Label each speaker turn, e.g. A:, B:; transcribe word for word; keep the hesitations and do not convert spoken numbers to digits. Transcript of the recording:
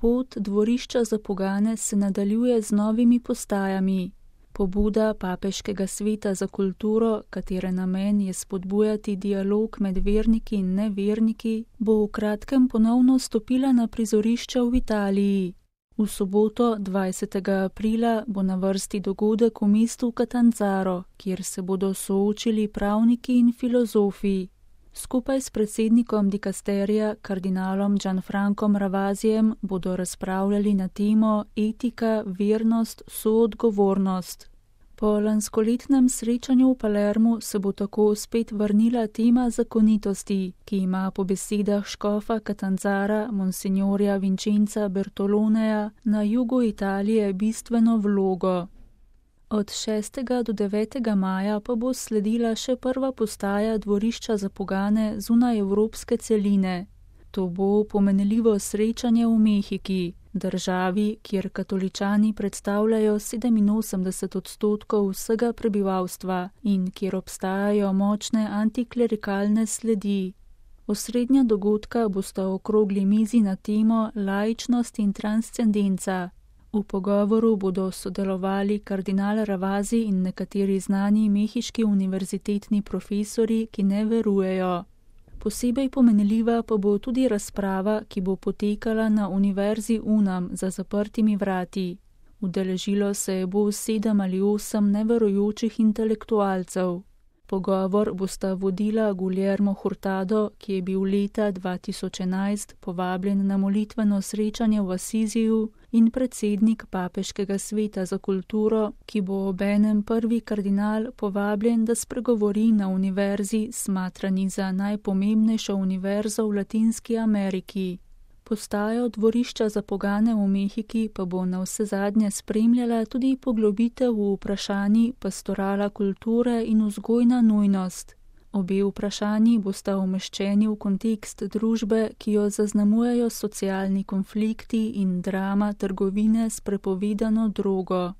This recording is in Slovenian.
A: Pot dvorišča za pogane se nadaljuje z novimi postajami. Pobuda Papeškega sveta za kulturo, katere namen je spodbujati dialog med verniki in neverniki, bo v kratkem ponovno stopila na prizorišča v Italiji. V soboto, dvajsetega aprila, bo na vrsti dogodek v mestu Catanzaro, kjer se bodo soočili pravniki in filozofi. Skupaj s predsednikom dikasterija, kardinalom Gianfrancom Ravazijem, bodo razpravljali na temo etika, vernost, soodgovornost. Po lanskoletnem srečanju v Palermu se bo tako spet vrnila tema zakonitosti, ki ima po besedah škofa Catanzara, monsignorja Vincenza Bertoloneja, na jugu Italije bistveno vlogo. Od šestega do devetega maja pa bo sledila še prva postaja dvorišča za pogane zunaj evropske celine. To bo pomenljivo srečanje v Mehiki, državi, kjer katoličani predstavljajo sedeminosemdeset odstotkov vsega prebivalstva in kjer obstajajo močne antiklerikalne sledi. Osrednja dogodka bosta okrogli mizi na temo laičnost in transcendenca. V pogovoru bodo sodelovali kardinal Ravazi in nekateri znani mehiški univerzitetni profesori, ki ne verujejo. Posebej pomenljiva pa bo tudi razprava, ki bo potekala na Univerzi Unam za zaprtimi vrati. Udeležilo se je bo sedem ali osem neverujočih intelektualcev. Pogovor bosta vodila Guillermo Hurtado, ki je bil leta dva tisoč enajst povabljen na molitveno srečanje v Asiziju, in predsednik Papeškega sveta za kulturo, ki bo obenem prvi kardinal povabljen, da spregovori na univerzi, smatrani za najpomembnejšo univerzo v Latinski Ameriki. Postajo dvorišča za pogane v Mehiki pa bo navsezadnje spremljala tudi poglobitev v vprašanji pastorala kulture in vzgojna nujnost. Obe vprašanji bosta umeščeni v kontekst družbe, ki jo zaznamujejo socialni konflikti in drama trgovine s prepovedano drogo.